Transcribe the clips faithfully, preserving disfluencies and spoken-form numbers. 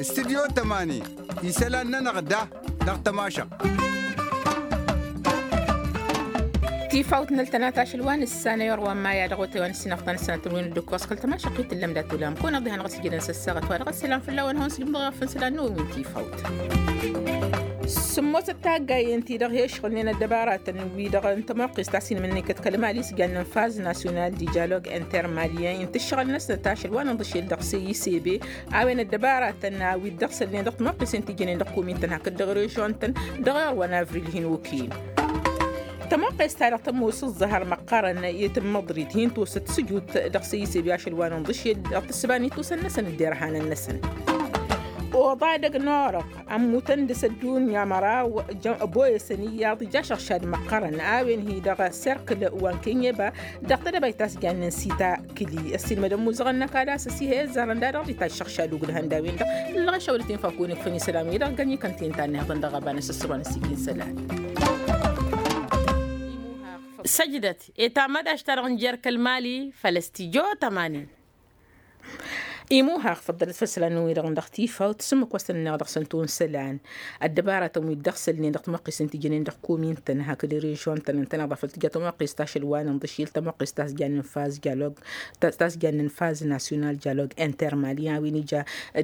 Studyo tămani isălan-nănăɣ da dăɣ-tămašăɣt. Tifawt n-ăltănat ašăl wa n-ǝssanăy orwa n-maya dăɣ-otay wa n-ǝssinăɣ ta n-ǝssanăt n-win dd-ǝkkoẓ kăl-tămašăɣt i-tǝllăm dat-ulam kăwăn-ăɣ diha n-ăɣ s-ijădăn s-ăssaɣăt wa dăɣ-ăsselam fălla-wen hawăn-s dd-imdăɣăfăn s-ălan n-win tifawt. Sǝmmosăt taggayen-ti-dăɣ he-ǝšɣǝlnen ăddăbaratăn-wi-dăɣ n-tămoqqest ta s-inmǝnnǝy kăt-kăl-mali s-jannen faz nasyonal di dialog inter-malien i n-tǝššăɣǝl-năsnăt ašăl wa n-inḍǝšel dăɣ-seyisebe. A-wen ăddăbaratăn a-wi dd-ăɣsălnen dăɣ-tămoqqesen ti jănen dăɣ-komintăn hakd dăɣ-režion-tăn dăɣ-erwa n-avril hin-okăyăn. Tămoqqes-ta-dăɣ tămoos ǝẓẓăhăr măqqărăn i-tǝmmăḍrit hin-tosăt sǝjut dăɣ-seyisebe ašăl wa n-inḍǝšel dăɣ-tǝssǝba n-ittusăn-năsăn d-derhanăn-năsăn. Oḍa edăgg n-orăɣ ămmutăn dăɣ-s ăddunya măraw. Boyăsăn iyyăḍ ija ašăɣšad măqqărăn a-wen hi-dăɣ serkǝl wa n-kenyeba dăɣ-tedăbayt ta s-jannen sita kǝli ăssiilmădăn muzăɣăn n-ăkall a-s ăsihăy ăzzarăn da dăɣ-dd-itajj ašăɣšad ugǝlhăn d-a-wen-dăɣ. Ǝllăɣ ašăwălăt infa kăwăn-ikfăn isălan-wi-dăɣ găn-ikăn ti n-tannihăḍăn dăɣ-ăbanăs ăssăwăn ăssiik-in isălan. Săjdăt i-tamădaš-ta-dăɣ n-jer-kăl-mali făll-ăstijotămanin. Imuhaɣ făḍḍălăt făll-isălan-wi-dăɣ dăɣ-tifawt s-ǝmmǝk wa s-tăn-ănneɣ dăɣ-săn tun isălan. Ăddăbaratăn wi dd-ăɣsălnen dăɣ-tămoqqes n-ti jănen dăɣ-komin-tăn hakd režion-tăn ǝntăneḍ a făl tǝja tămoqqes ta ašăl wa n-inḍǝšil tămoqqes ta s-jannen faz dialog ta s-jannen faz nasyonal dialog inter-mali a-wen ija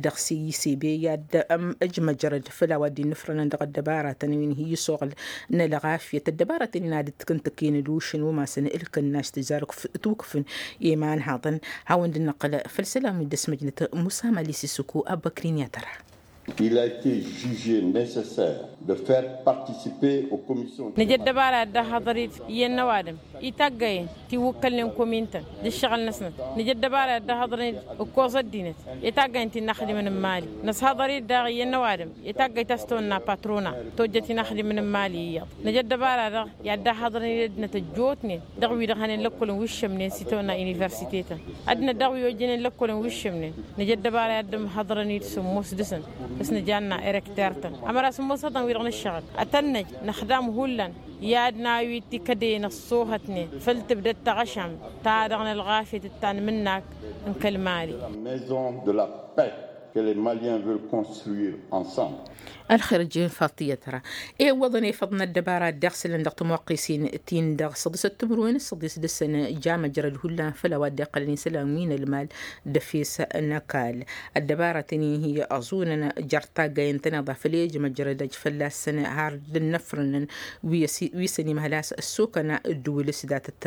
dăɣ-seyisebe i-ad-ǝjmăjrăd făll-a-wa dd-innǝfrănăn dăɣ-ăddăbaratăn wi n-hi-isoɣǝl n-ălɣafyăt ăddăbaratăn-in ad-dd-tǝkǝntǝkǝyăn ǝlwǝššăn umasăn ǝlkǝnnaš tǝzzar ukǝfǝn i-imanhaḍăn. Hawăn-dd-năqqǝl făll-isălan wi dd-ăsmăjnăt musa mali sisuku ăbbăkrin i-ad-tăra. Il a été jugé nécessaire de faire participer aux commissions. Nǝja ăddăbara i-ad-dd-ăhhăḍăr-dd iyyăn n-ăwadǝm itaggayen ti iwǝkkălnen komin-tăn d-ǝššăɣǝl-năsnăt. Nǝja ăddăbara i-ad-dd-ăhhăḍărăn-dd ǝkkoẓ ăddinăt i-taggayen ti n-inaxdimăn n-imali. Nǝshăḍăr-dd daɣ iyyăn n-ăwadǝm itaggayen ta s-tawănna patrona tojjăt inaxdimăn n-imali iyyăḍ. Nǝja ăddăbara daɣ i-ad-dd-ăhhăḍărăn-dd ăddinăt ăjjootnen dăɣ-wi-dăɣ hănen lăkkolăn wi ǝššămnen s-itawănna universitetăn. Ăddinăt daɣ wi ojjănen lăkkolăn wi ǝššămnen. Nǝja ăddăbara i-ad-dd-ămhăḍărăn-dd sǝmmos dăɣ-săn s-nǝjanna erekter-tăn ămăra sǝmmos ihăḍăn wi-dăɣ nǝššăɣǝl ad-tăn-năj năxdam hullan. I-ad-nawi tikădăyăn ăṣṣoohătnen făll-tǝbdăd taɣăšamt ta dăɣ-nălɣafyăt d-tanmǝnnak n-kăl-mali. Maison de la paix que les maliens veulent construire ensemble. Ălxer ăjjeen faṭiyăt ra. Iwwăḍăn efăḍ n-ăddăbara dd-iɣsǝlăn dăɣ-tămoqqesen-tin-dăɣ săḍisăt timǝrwen s-săḍis dăɣ-săn ja măjrăd hullan făll-a-wa dd-iqqălăn isălan wi n-ălmal d-efes n-ăkall. Ăddăbara tăn-in-hi ăẓunăn jer-taggayen-tăn iḍa făll-ejămăjrăd ăj fălla-săn har dd-ănnăfrănăn wi săn-imhăl a-s ăssokăna ǝddǝwǝl s-datăt.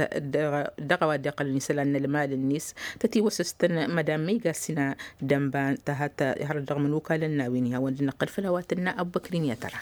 Dăɣ-a-wa dd-iqqălăn isălan n-ălmal-net tătiwăsăs-tăn mădam măyga s-ina dănba tăhăt har dăɣ-imǝnukalăn n-a-wen ihawăn dd-năqqăl făll-a-wa tǝnna ăbbăkrin i-ad-tăra.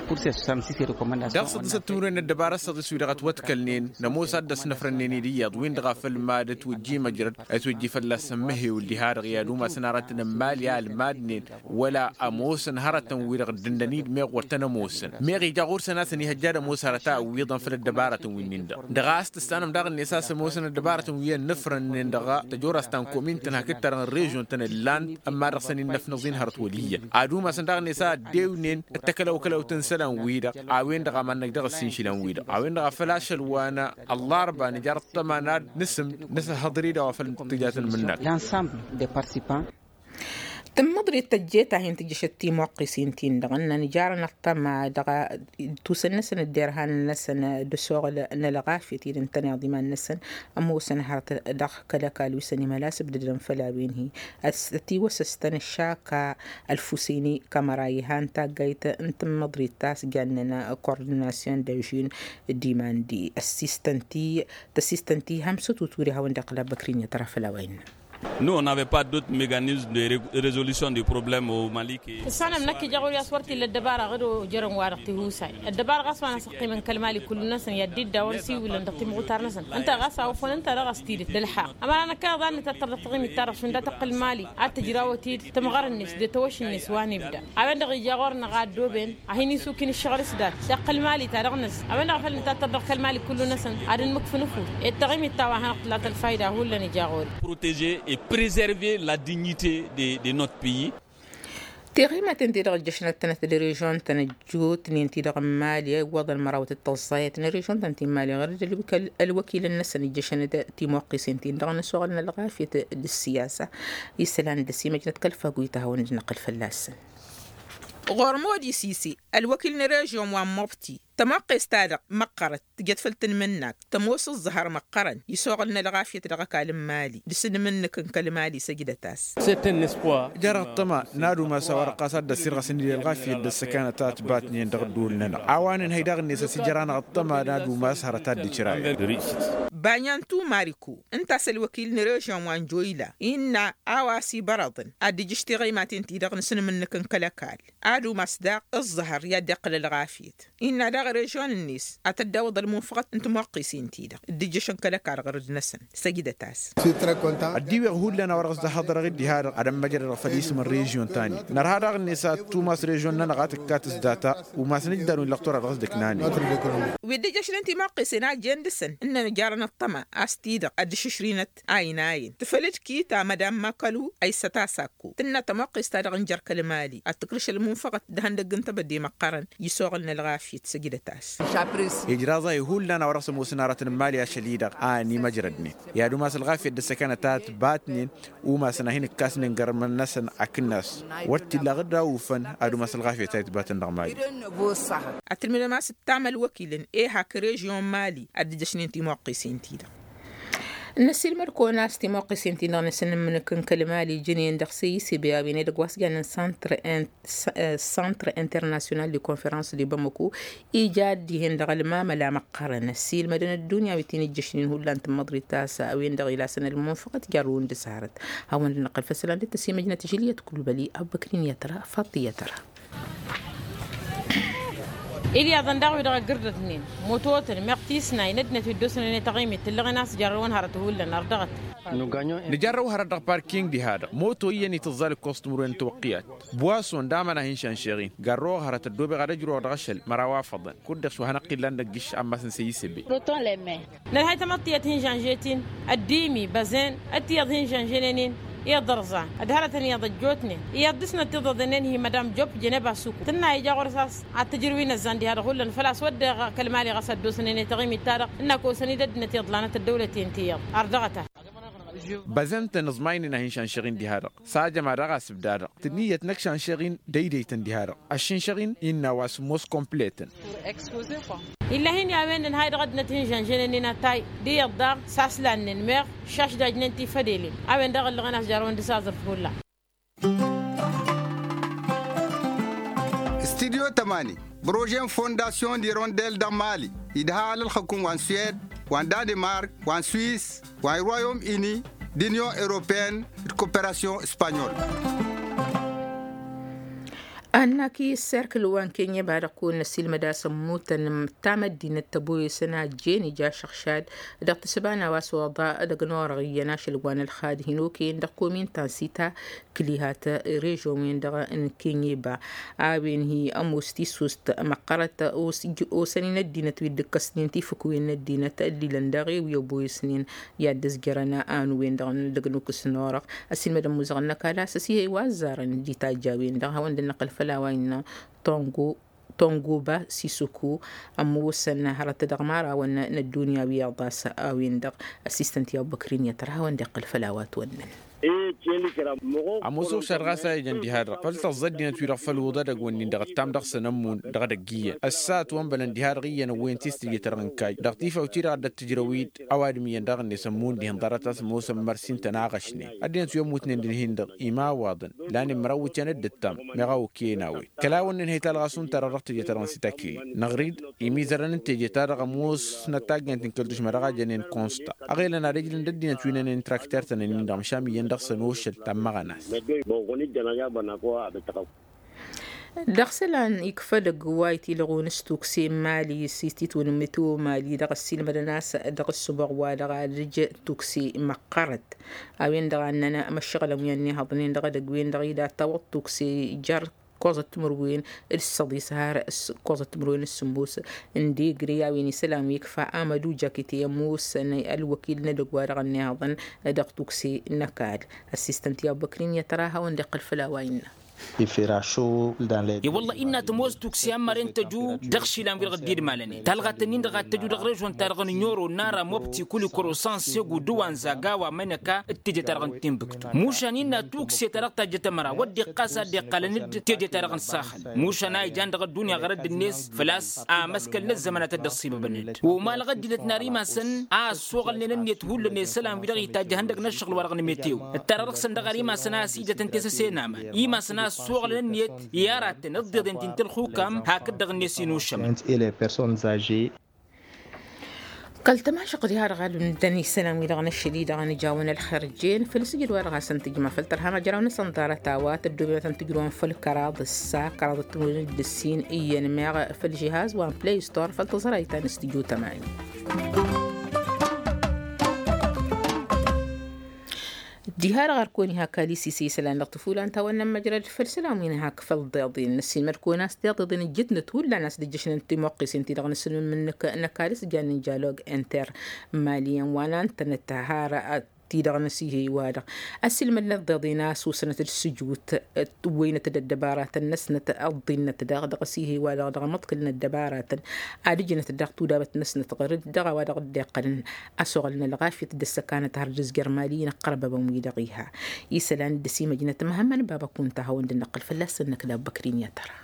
Dăɣ-săḍǝsăt timǝrwen n-ăddăbara s-săḍis wi-dăɣ ătwătkălnen nămoos ad-dăɣ-s năfrănnen-dd iyyăḍ-win-dăɣ a făl mad-ătwǝjji măjrăd ătwǝjji fălla-săn măhewǝl diha-dăɣ i-ad-umasăn arătăn n-mali a ălmadnen wăla ămoosăn hărătăn-wi-dăɣ dd-ǝnnăn-dd meɣ wăr tăn-ămoosăn meɣ ija ɣur-săn a-s ănihăjja ad-ămoos hărăt a ǝwwiḍăn făll-ăddăbaratăn wi-nin-dăɣ. Dăɣ-a-s tǝssanăm daɣ-net a-s ămoosăn ăddăbaratăn wi ănnăfrănnen dăɣ-tăjorrast ta n-komin-tăn hakd ta dăɣ-n režion-tăn ǝllan ămma dăɣ-săn innăfnăẓ-in hărăt wăl' iyyăn ad-umasăn daɣ-net a ăddewnen ăttăkălăwkălăwt n-isălan-wi-dăɣ a-wen-dăɣ a mad-năj dăɣ-ăssincǝlăn-wi-dăɣ a-wen-dăɣ a făl ašăl wa n-ăllarba nǝjar ăṭṭăma n-ad-nǝsǝm nǝsăhhăḍăr-dd a-wa făl tǝjatăn mǝnnak. Tǝmmǝḍrit tăjjeta hin-tǝjjăšăt timuqqǝsin-tin-dăɣ ǝnnăn jarăn ăṭṭăma dăɣ-tusăn-năsăn d-derhan-năsăn d-asoɣǝl n-ălɣafyăt-in ǝntăneḍ iman-năsăn ămoosăn hărăt dăɣ-kăl-ăkall wi săn imhăl a-s ǝbdădăn făll-a-wen-hi. Ătiwăsăs-tăn ăššaka ălfusini kămăra ihan taggayt n-tǝmmǝḍrit ta s-jannen kordinasyon d-ažin d-iman-di ăssistăn-t-i tăssistăn-t-i hămsăt uture hawăn-dd-iqqǝl abăkrin i-tăra făll-a-wa innă. Nous on n'avait pas d'autre mécanisme de résolution du problème au mali que. Tǝssanăm năkk ija ɣur-i a-s wăr t-illa ăddăbara ɣǝd ojărăn-wa-dăɣ tihusay ăddăbara ɣas wa n-asăqqimăn kăl-mali kullu-năsăn i-ad-dd-iddawăn s-iwǝlăn dăɣ-timɣutar-năsăn ǝnta ɣas a ofăn ǝnta dăɣ-as tidǝt d-ălxaq. Ămăra năkk a iḍan nǝtattăr dăɣ-taɣimit-ta-dăɣ šund a tăqqǝl mali ad-tǝjrawăt-dd tămɣăr-net d-tawăš-net wa n-ibda. A-wen-dăɣ ija ɣur-năɣ a ăddooben ad-hin-isukin ǝššăɣǝl s-dat taqqǝl mali ta dăɣ-năzz. A-wen-dăɣ a făl nǝtattăr dăɣ-kăl-mali kullu-năsăn ad-ǝnmǝkfǝn ǝfut. Ed taɣimit ta wa hanăɣ-tǝla tălfayda hullan ija ɣur-i. Protéger et préserver la dignité de notre pays. Tiɣimaten-ti-dăɣ ǝjjăšăn ad-tănăt d-režion-tăn ăjjootnen-ti-dăɣ n-imali a iwwăḍăn mărawăt d-tăẓẓayăt n-režion-tăn ti n-imali ɣur-dd ălwăkil-năsăn ǝjjăšăn-dd timuqqisen-ti-dăɣ n-asuɣăl n-ălɣafyăt d-ǝssiyasa. Isălan d-ăsimăjnăt kăl-faguyt a hawăn-dd-năqqăl fălla-săn. Ɣur-modi sisi ălwăkil n-režion wa n-mobti tămoqqes-ta-dăɣ măqqărăt tǝjăt făll-tanmǝnnakt tămoos ǝẓẓăhăr măqqărăn isuɣǝl n-ălɣafyăt dăɣ-ăkall n-imali d-asǝnmǝnnǝk n-kăl-imali săjdăt-as. Jer-ăṭṭăma n-ad-umas a-wa-dăɣ ɣas ad-dd-ăssirɣăsăn-dd ălɣafyăt d-ăssăkanăt a ătbatnen dăɣ-ădduul-nănăɣ a-wa nǝnhăy daɣ-net a-s ija-ra-năɣ ăṭṭăma n-ad-umas hărăt ad-dd-ǝcrayăn. Banyan tumariku ǝnta a-s ălwăkil n-režion wa n-joyla innă a-wa s-ibărăḍăn ad-dd-ǝjǝš tiɣăymaten-ti-dăɣ n-asǝnmǝnnǝk n-kăl-ăkall ad-umas daɣ ǝẓẓăhăr i-ad-dd-iqqǝl ălɣafyăt. Innă daɣ režion-net ad-tăddawăḍ ălmunfăɣăt n-timuqqisen-ti-dăɣ dd-ǝjjăšăn kăl-ăkall ɣur-dd-năsăn. Săjdăt-as. Ăddiiweɣ hullan a-wa dăɣ-s dd-ăhhăḍrăɣ-dd diha-dăɣ ad-ămmăjrădăɣ făll-isǝm n-režion ta-net nărha daɣ-net ad-tumas režion-nănăɣ a tǝkkat s-data umasăn ǝjdar wi n-lăqtor a dăɣ-s dd-ǝknanen. Wi dd-ǝjjăšnen timuqqisen a jen dăɣ-săn ǝnnăn ǝjarăn ăṭṭăma a-s ti-dăɣ ad-dd-išǝšrinăt a inayăn tǝfăl-dd kita madam makălu a issăt-as akko tǝnna tămoqqes-ta-dăɣ n-jer-kăl-imali ad-tǝkrǝš ălmunfăɣăt d-ihăndăgg n-tebădde măqqărăn. Issoɣăl n-ălɣafyăt săjdăt-as. Ijraẓ-ahi hullan a-wa dăɣ-s ămoosăn aratăn n-imali ašăl-i-dăɣ a ănimăjrădnen i-ad-umas ălɣafyăt d-ăssăkanăt a ătbatnen umasăn a hin-ǝkkasnen gărmăn-năsăn akǝnnas. Wăr t-illa ɣǝr-da ufăn ad-umas ălɣafyăt a itbatăn dăɣ-mali. Ad-tǝlmǝdăm a-s ǝttam ălwăkilăn ehak režion mali ad-dd-ǝjjăšnen timuqqisen-ti-dăɣ. Năssiilmăd-kăwăn a-s timuqqisen-ti-dăɣ n-asǝnǝmmǝnǝk n-kăl-mali jǝnen dăɣ-seyisebe a-wen edăgg wa s-jannen santr, santr internasyonal de konferans de bamako ija ad-dihen dăɣ-ălmamăla măqqărăn ăssiilmădăn ăddunya wi t-in-ǝjjăšnen hullan tǝmmăḍrit a-s a-wen-dăɣ ila săn ălmunfăɣăt jarrăwăn d-asarăt. Hawăn-dd-năqqăl făll-isălan d-tăsimăjnăt žiliyăt kulbăli abbăkrin i-ad-tăra faḍt i-ad-tăra. Ilyaḍăn daɣ wi-dăɣ ăggărdătnen mototăn meɣ tisnay n-ăddinăt wi dd-osănen i-taɣimit tǝllăɣen a-s jarrăwăn hărăt hullan ărdăɣăt. Nǝjarrăw hărăt dăɣ-parking diha-dăɣ moto iyyăn itǝẓẓal ǝkkoẓ timǝrwen n-tawăqqiyat. Bwason d-aman a hin-šanšeɣ-in garrăwăɣ hărăt ăddobeɣ ad-ăjrăwăɣ dăɣ-ašăl măraw a făḍăn. Kud-dăɣ s-wa hanăɣ-t-illan dăgg-išš ammas n-săyy s-ebe. Nărhay tamăḍt tiyyăt hin-žănžet-in ăddimi băzen d-tiyyăḍ hin-žănženen-in iyyăḍ ărẓan d-hărătăn iyyăḍ ăjjootnen iyyăḍ dăr-snăt tiḍăḍenen hi-mădam jopp jeneba suku tǝnna ija ɣur-s a-s ad-t-ǝjrǝw inăzzan diha-dăɣ hullan făl-a-s wădden kăl-mali ɣas ad-dd-osănen i-taɣimit-ta-dăɣ ǝnn'-ak osăn-dd ăddinăt iḍlanăt ăddăwlăten tiyyăḍ ardăɣăt-a. Băzen-tăn ǝẓmaynen a hin-šanšăɣ-in diha-dăɣ s-ajăm ad-dăɣ-asǝbda-dăɣ tǝnniyyăt n-ăkšanšăɣ-in dăydăy-tăn diha-dăɣ ăššǝnšăɣ-in innă a-wa sǝmmos kompletăn. Illa hin-i a-wen d-ănhay dăɣ-ăddinăt hin-žănžănen-in atay d-iyyăḍ daɣ s-aslannen meɣ šašdajnen tifădelen a-wen-dăɣ ǝllăɣăn a-s jarrăwăn d-asazăr făw ǝlla. Studyo tămani prože n-fondasyon d-irondel dăɣ-mali idha alălxăkum wa n-suwed wa n-danemark wa n-swis wa n-royom ini d-inyon europeen d-koperasyon spanyol. Ănnak i-serkǝl wa n-kenye ba dăɣ-kăwăn-năsilmăd a-s ămmutăn ta măddinăt tăboyăsăn a ăjjeen ija ašăɣšad dăɣ-tǝssǝba n-a-wa s-oḍa dăgg-norăɣ iyyăn ašăl wa n-ălxad hin-okăyăn dăɣ-komin ta n-sita kǝlihat režon-wen-dăɣ n-kenye ba a-wen hi-ămoos tisust măqqărăt. Osăn-in ăddinăt wi dd-ǝkkăsnen tifǝkwen n-ăddinăt ăllilăn daɣ i-wi ăboyăsnen i-ad-dd-ǝzjărăn anu-wen-dăɣ dăgg-nukǝs n-orăɣ. Ăsilmădăn muzăɣăn n-ăkall a-s ăsihăy wa ăzzarăn d-itajj a-wen-dăɣ hawăn-dd-năqqăl făll-a-wa innă tongo tongoba sisuku ămoosăn hărăt dăɣ-imărawăn n-ăddunya wi iyyăḍ a-s a-wen-dăɣ ăssistăn ti-abbăkrin i-ad-tăr hawăn-dd-iqqăl făll-a-wa ătwănnăn. Ămoos uɣšad ɣas a ijăn diha-dăɣ făll-tăẓẓa ăddinăt-wi-dăɣ făll-iwǝḍa edăgg-wǝnnin dăɣ-ăttam dăɣ-săn ămmun dăɣ-edăgg iyyăn ăssa ătwănbălăn diha-dăɣ iyyăn ăwwăyăn tistǝjjăt-dăɣ n-kayy dăɣ-tifawt-i-dăɣ a dd-tǝjrăw-dd ăwadǝm iyyăn daɣ-net ămmun dihen ḍarăt a-s ămoosăn mărs-i n-tăn-aɣăšnen ăddinăt wi ămmutnen d-ǝnhin-dăɣ imawaḍăn. Lanen măraw iwǝtyan d-ǝttam meɣ a okăyăn a-wen kăla-wǝnnin hăy talɣas unta-dăɣ dăɣ-teje-ta-dăɣ n-sitakli năɣrid imizărăn n-teje-ta-dăɣ ămoosnăt taggaynt n-kăl-dušma dăɣ-a jănen konsta ăɣelăn ad-ǝjlǝn d-ăddinăt wi n-ănen trakter-tăn-ǝnnin-dăɣ măšan iyyăn dăɣ-săn ošăl ta n-imăɣănas. Dăɣ-isălan ikfăd ăgg wa itilăɣun s-tukse n-mali s-ititwǝn n-meteo mali dăɣ-ăssiilmădăn a-s dăɣ-ǝssǝboɣ wa dăɣ-ad-ǝj tukse măqqărăt. A-wen-dăɣ a ǝnnăn măššăɣǝlăn wi ănnihăḍnen dăɣ-edăgg-wen-dăɣ ila tawăḍ tukse jer-ǝkkoẓăt timǝrwen d-săḍis har ǝkkoẓăt timǝrwen d-sǝmmos n-degre. A-wen isălan wi ikfa amădu jakite ămoosăn ălwăkil n-edăgg wa dăɣ-ănnihăḍăn dăɣ-tukse n-ăkall. Ăssistăn ti-abbăkrin i-ad-tăr a hawăn-dd-iqqăl făll-a-wa innă. I-wălla innă tămoos tukse ammăren tăju dăɣ-išilan wi-dăɣ dd-idmalănen talɣat-nin-dăɣ ad-tăju dăɣ-režon-ta-dăɣ n-inyoro n-ara mobti kuli korosăn segu d-wanza gawa mănăka d-teje-ta-dăɣ n-tinbǝktu. Mušan innă tukse-ta-dăɣ tajjăt ămăra wădden ɣas a dd-iqqalăn-dd teje-ta-dăɣ n-saxăl. Mušan a ijan dăɣ-ăddunya ɣărădd-net făl-a-s amăskăl n-ăzzăman ad-tădd-ăṣṣibăbăn-dd omalăɣ ăddinăt n-ar imasăn a ăssoɣălnen ǝnniyăt hullan i-isălan wi-dăɣ itajj ihăndăg n-ăššăɣǝl-wa-dăɣ n-meteo. Ǝttarăɣ dăɣ-săn dăɣ-ar imasăn a ăsidătăn tesăse n-aman imasăn a ăssoɣălăn ǝnniyăt i-aratăn ǝḍḍeḍen ti n-tălxukam hakd-dăɣ-net inušămăn. Kăl-tămašăɣt diha-dăɣ ad-undăn isălan-wi-dăɣ n-ašăl-i-dăɣ ănijawăn ălxerjen făll-sǝjǝd-wa-dăɣ a-s ăntǝjma făll-tărha măjraw-năsăn ḍarăt a-wa tăddoobem ad-tăn-tǝjrǝwăn făll-kăraḍ ǝssa kăraḍ ăttǝmǝnǝd d-ǝssin iyyăn meɣ făll-žihaz wa n-play store făll-tăẓrayt ta n-studio tămani. Diha-dăɣ ar kăwăn-iha kalisise isălan dăɣ-tǝfulan ta wănnăn măjrăd făll-isălan wi n-hak făll-iḍeḍen năssiinmăd-kăwăn a-s tiḍeḍen ǝjjǝtnăt hullan a-s d-ǝjjăšnen timăqqesen-ti-dăɣ n-asǝlmǝm n-năkk n-ăkall s-jannen jalog enter mali-en wa n-antănăt har ti-dăɣ n-asihey-wa-dăɣ ăsilmădnăt tiḍeḍen a-s osnăt d-sǝjut ǝwwăynăt-dd ăddăbaratăn-năsnăt ăḍḍinnăt daɣ dăɣ-asihey-wa-dăɣ dăɣ-amăḍkǝl n-ăddăbaratăn ad-ǝjnăt daɣ tudabăt-năsnăt ɣur-dd dăɣ-a-wa dăɣ-dd-iqqălăn ăsoɣălăn ălɣafyăt d-ăssăkanăt har d-ǝzjăr mali-in ăqqărbăbăn-wi-dăɣ iha isălan d-ăsimăjnăt măhămmăn baba kunta hawăn-dd-năqqăl fălla-săn năkk d-abbăkrin i-ad-tăra.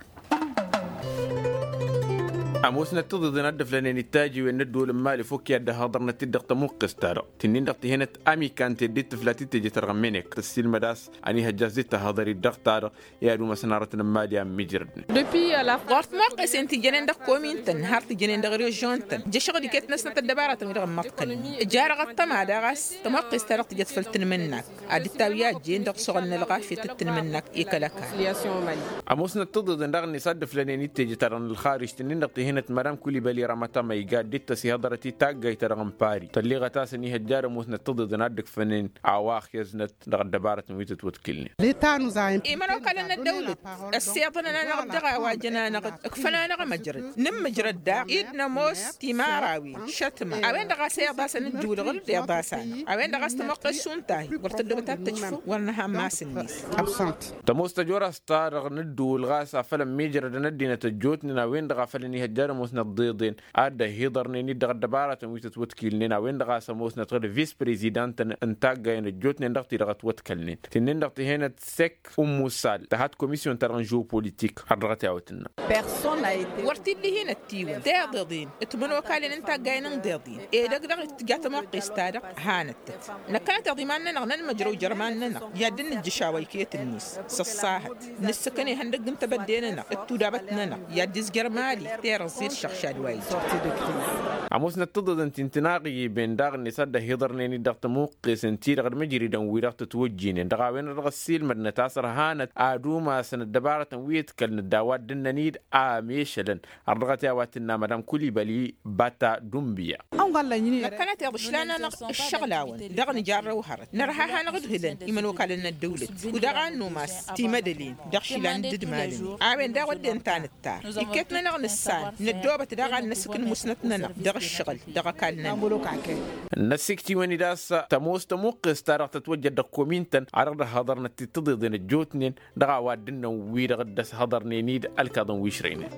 Ămoosnăt tiḍeḍen ad-dd-ǝflănen ittajiwen n-ădduul n-imali fokk i-ad-dd-ăhhăḍărnăt-dd dăɣ-tămuqqest-ta-dăɣ tǝnnin-dăɣ tihănăt amikan teddit tǝflat d-teje-ta-dăɣ n-menek tăssiilmăd a-s ănihăjja a-s dd-tăhhăḍăr-dd dăɣ-ta-dăɣ i-ad-umasăn arătăn n-imali a ǝmmijrădnen. Ɣur-tămoqqesen ti jănen dăɣ-komin-tăn har ti jănen dăɣ-režion-tăn jăšăɣ d-iket-năsnăt ăddăbaratăn-wi-dăɣ ǝmmăḍkălnen ǝja dăɣ-ăṭṭăma daɣ a-s tămoqqest-ta-dăɣ tǝjăt făll-tanmǝnnak ad-dd-tawǝy a ăjjeen dăɣ-suɣǝl n-ălɣafyăt d-tanmǝnnak i-kăl-ăkall. Ămoosnăt tiḍeḍen daɣ-net a dd-ǝflănen i-teje-ta-dăɣ n-ălxarij tǝnnin-dăɣ tihănăt madam kulibali ramatama iga dd-tăsihăḍărăt i-taggayt-ta-dăɣ n-pari tălliɣăt a-s ănihăjja d-ămoosnăt tiḍeḍen a dd-ǝkfănen a-wa ăxyăznăt dăɣ-ăddăbarătăn wi tătwătkǝlnen. Imănokalăn n-ăddăwlăt ăssiḍăn-anăɣ-dd dăɣ-a-wa jăn-anăɣ-dd ǝkfăn-anăɣ măjrăd nǝmmǝjrăd daɣ-i d-nămoos timărawen šătma a-wen-dăɣ a-s iḍasăn ǝjjǝwǝl ɣǝr-dd iḍas-anăɣ a-wen-dăɣ a-s tămoqqes šund tahi wăr tăddobăt ad-tăjfu wăr nǝha n-mass-net. Tămoos tăjorast-ta-dăɣ n-ǝddǝwǝl ɣas afăl ămmiijrădăn ăddinăt ăjjootnen a-wen-dăɣ a făl ănihăjja d-ămoosnăt tiḍeḍen a dd-ăhiḍărnen-dd dăɣ-ăddăbarătăn wi tătwătkilnen a-wen-dăɣ a-s ămoosnăt ɣǝr-dd vis-prezidant n-taggayăn ăjjootnen dăɣ-ti-dăɣ ătwătkălnen tǝnnin-dăɣ tǝhenăt sek ummusal tăhat komisyon-ta-dăɣ n-žeopolitik har dăɣ-t i-a-wa tǝnnă. Wăr t-dd-ihinăt tiwǝn tiḍeḍen d-timănokalăn n-taggayen n-iḍeḍen edăgg-dăɣ tǝja tămoqqes-ta-dăɣ hanăt-tăt năkkănăteḍ iman-nănăɣ nănmăjrăw jer-iman-nănăɣ i-ad-dd-nǝjjǝš a-wa iket-net s-ăṣṣahăt nǝssǝkăn ihăndăgg n-tebădde-nănăɣ d-tudabăt-nănăɣ i-ad-dd-izjăr mali terăẓẓed šăɣšad wa ija. Ămoosnăt tiḍeḍen ti n-tinaɣiben daɣ-net a dd-ăhiḍărnen-dd dăɣ-tămuqqesen-ti-dăɣ d-măjridăn-wi-dăɣ tătwăjjinen dăɣ-a-wen-dăɣ ăssiilmădnăt a-s ărhanăt ad-umasăn ăddăbarătăn wi ǝtkălnăt d-a-wa dd-ǝnnăn-dd a mešălăn har dăɣ-t i-a-wa tǝnna madam kulibali bata dumbiya. Năkkănăteḍ ǝšlan-anăɣ ǝššăɣlawăn dăɣ-nǝjarrăw hărăt nărha a hanăɣ-ǝdhǝlăn imănokalăn n-ăddăwlăt u-dăɣ a n-numas timădălen dăɣ-išilan d-idmalăn a-wen daɣ wădden tanăttar iket-nănăɣ nǝssan năddoobăt daɣ ad-năsǝkǝn musnăt-nănăɣ dăɣ-ǝššăɣǝl dăɣ-ăkall-nănăɣ. Năsikt'-iwăn-dd a-s tămoos tămuqqest-ta-dăɣ tătwăjjăt dăɣ-komin-tăn a dăɣ-dd-ăhhăḍărnăt-dd tiḍeḍen ăjjootnen dăɣ-a-wa dd-ǝnnăn wi-dăɣ dd-ăshăḍărnen-dd ălkaḍăn wi ǝšrăynen.